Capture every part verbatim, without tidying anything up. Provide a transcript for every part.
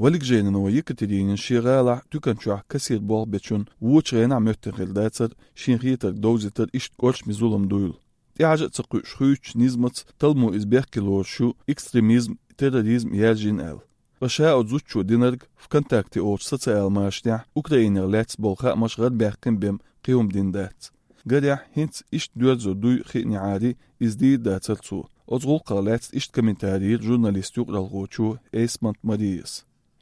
Валикжейнова Екатеринина шен гӀалахь туькан чохь кассир болх бечунна вочу хенахь моьттина хир дацара шен хетарг довзийтар иштта кӀоршаме зулам дуйла. ТӀехьажа а ца кхуьуш хуьйцучу низамца талламо иза бехке лоруш ю экстремизм, терроризм яьржина аьлла. Ткъа ша оцу зудчо динарг ВКонтакте олучу социал машанехь Украинах лаьцна болу хаамаш гӀарабаьккхина бен кхин хӀума дина дац. Гарехь, хӀинца иштта доьрзур дуй хиънехьара, иза дийр дацара цо. Оцу гӀуллакхах лаьцна иштта комментари йира журналист юкъаралхочо Эйсмонт Марияс.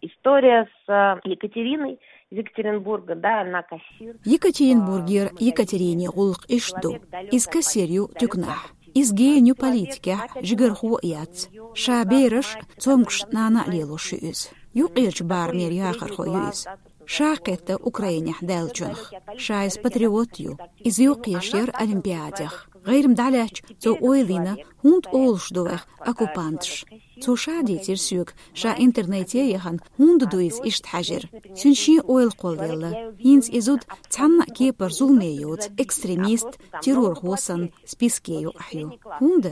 История с э, Екатериной из Екатеринбурга, да, она кассир. Екатеринбургера Екатерине гӀуллакх иштта ду. Иза кассир ю туьканахь. Иза гена ю политикехь, жигархо а яц. Ша бераш, цомгуш нана а лелош ю иза. Юккъерчу барамера яхархо ю иза. Ша кхетта Украинехь даьллачунах. Ша иза патриот ю. Иза йоккхуш яра Олимпиадех. ГӀайрам дӀалаьцча, цо ойла йина, хӀунда олуш ду вайх оккупанташ. Цо ша дийцира соьга, ша интернете яхана, хӀунда ду иза иштта хьаьжира. Цуьнан шен ойла кхоллаелла. ХӀинца и зуда цхьанна а кепара зуламе йоцу, экстремист, террорхо санна списке юкъахь ю. ХӀунда?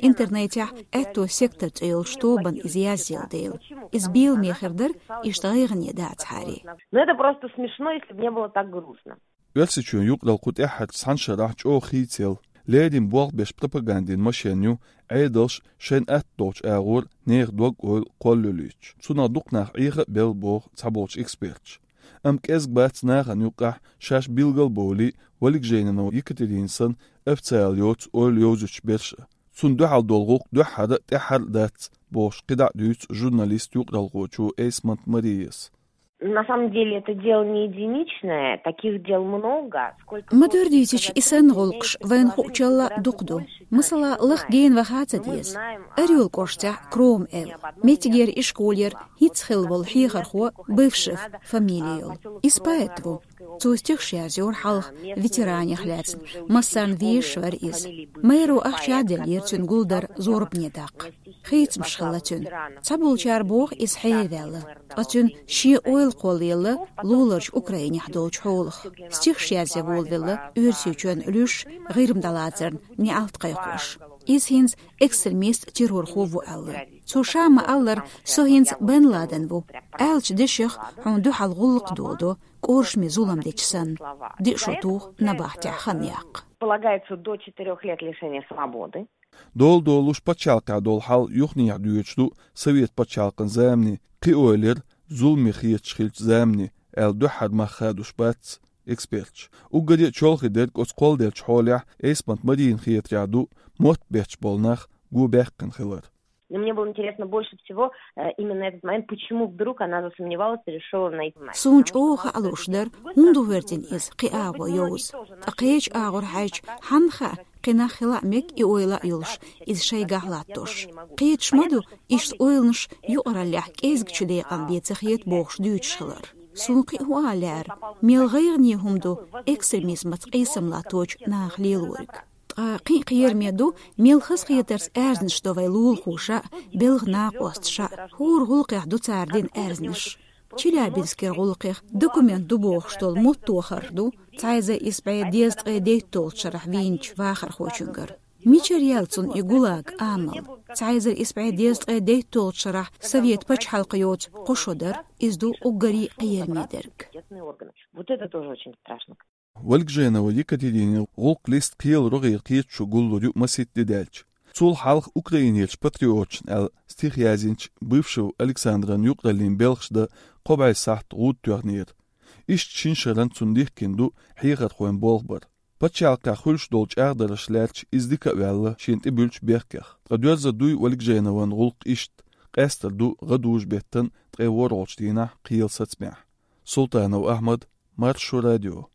Интернетехь аьтту сектор цӀе йолчу тобанна иза язъелла дела. Иза беламе хир дара, иштта гӀайгӀане дацахьара. Но это просто смешно, если бы не было так грустно. Оьрсийчоьнан юкъаралла кху тӀаьххьарчу цхьана шарахь чӀогӀа хийцаелла, леррина болх беш пропагандин машен ю, Ӏедалш шайна атта долчу агӀор нехан дог-ойла кхоллалуьйтуш. Цунах дукха нах Ӏеха а белла боху цхьаболчу эксперташа. Амма кӀезиг бац нахана юккъехь шаьш билгал а бовлий, Валикжейнова Екатерина санна официал йоцу ойла йовзуьйтуш берш а. Цунна дуьхьал долу гӀуллакх дуьххьара а, тӀаьххьара а дац, бохуш кхидӀа а дуьйцу журналист юкъаралхочо Эйсмонт Марияс. На самом деле это дело не единичное, таких дел много. Сколько... Ма дара дийцича, и санна гӀуллакхаш вайна хуучалла дукха ду. Масала, лаха гена ваха а ца деза. Орёл кӀоштехь Кром аьлла, меттигера ишколера хӀинцца хилла волу хьехархо Бывшев фамили йолу. Иза поэт ву. Цо стихаш язйора хьалха ветеранех лаьцна, массарна везаш вара иза. Мэро ахча а деллера цуьнан гулдар зорбане даккха. Хийцамаш хилла цуьнан. Цхьаболчара боху, иза хьеваьлла. Ткъа цуьнан шен ойла кхоллаелла луларчу Украинехь долчу хьолах. Стихаш язъян волавелла Оьрсийчоьнна луьш, ГӀирма дӀалацарна неӀалт кхайкхош. Иза хӀинца экстремист, террорхо ву аьлла. Цо ша ма-аллара, со хӀинца Бен Ладен ву. Аьллачу дешех хьуна дуьхьал гӀуллакх доладо, кӀоршаме зулам дечу санна. Диъ шо туху набахтехь хан яккха. Полагается до четырёх лет лишения свободы. Дола долуш пачхьалкхехь долу хьал юханехьа доьдуш ду совет пачхьалкхан замане, кхин ойла яра, зуламе хеташ хиллачу замане, аьлла дуьххьара мах хадош бац эксперташа. Уггаре а чолхе дерг оцу кхолладеллачу хьолехь Эйсмонт Марина хетарехь ду мотт бетташ болу нах го баьккхина хилар. Но мне было интересно больше всего э, именно этот момент, почему вдруг она засомневалась и решила найти. Суна чӀогӀа хаа лууш дара, хӀунда ву верзина иза кхин агӀо йовза. Ткъа кхечу агӀор хьаьжча, хьанна хаьа, кхин нах хила а мега и ойла а йолуш, иза шайгахь латтош. Кхеташ ма ду, иштта ойланаш юкъараллехь кӀезгачу декъан бен ца хета бохуш дуьйцуш хилар. Суна кхин а хӀун ала лаьара, мел гӀайгӀане хӀума ду экстремизмаца къийсам латточу наха лелориг. Ткъа кхин а кхераме ду, мел хазахетарца аьрзнаш до вайн лулахоша а, белхан накъосташа а. ХӀора гӀуллакхех ду цара дина аьрзнаш. Челябинскера гӀуллакхех документ ду бохуш долу мотт тохар ду, цхьа эзар исс бӀе дезткъе дейтталгӀачу шарахь вийначу вахархочуьнгара. Мичара яьлла цунна и ГУЛАГ, амал? Цхьа эзар исс бӀе дезткъе дейтталгӀачу шарахь совет пачхьалкх йоцу кхо шо дара, иза ду уггаре а кхераме дерг. Вот это тоже очень страшно. Валикжейнова Екатеринин гӀуллакх-лист кхелан рогӀера кхеташо гуллур ю масийтта де даьлча. Цул хьалха Украинерчу патриоташна аьлла стих язйинчу Бывшев Александран юкъараллин белхаш дан кхо бӀе сахьт гӀуда тоьхнера. Иштта шина шарна цунна дихкина ду хьехархойн болх бар. Пачхьалкхехь хуьлуш долу чӀагӀдарш лаьрча иза дика а ваьлла шена тӀебуьллучу бехкех. Ткъа доьрзур дуй Валикжейнован гӀуллакх иштта, къаьстар ду гӀадужу-беттан ткъе ворхӀалгӀачу дийнахь кхелан сацамехь. Султанов Ахьмад, Маршо радио.